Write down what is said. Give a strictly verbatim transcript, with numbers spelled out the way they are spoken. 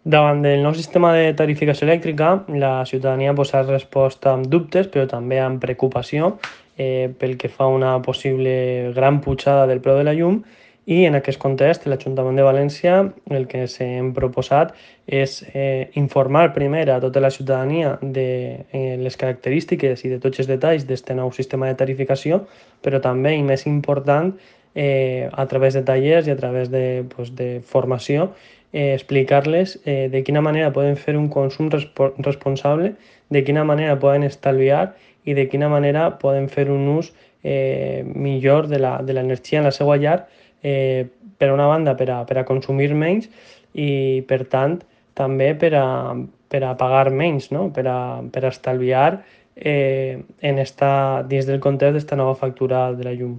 Davant del nou sistema de tarificació elèctrica, la ciutadania pues, ha respost amb dubtes, però també amb preocupació eh, pel que fa a una possible gran pujada del preu de la llum, i en aquest context l'Ajuntament de València el que s'hem proposat és eh, informar primer a tota la ciutadania de eh, les característiques i de tots els detalls d'aquest nou sistema de tarificació, però també, i més important, eh, a través de tallers i a través de, pues, de formació, eh, explicar-les eh, de quina manera poden fer un consum respo responsable, de quina manera poden estalviar i de quina manera poden fer un ús eh, millor de l'energia en la seva llar, eh, per una banda per a, per a consumir menys i per tant també per a, per a pagar menys, no? per, a, per a estalviar eh, en esta, dins del context d'esta nova factura de la llum.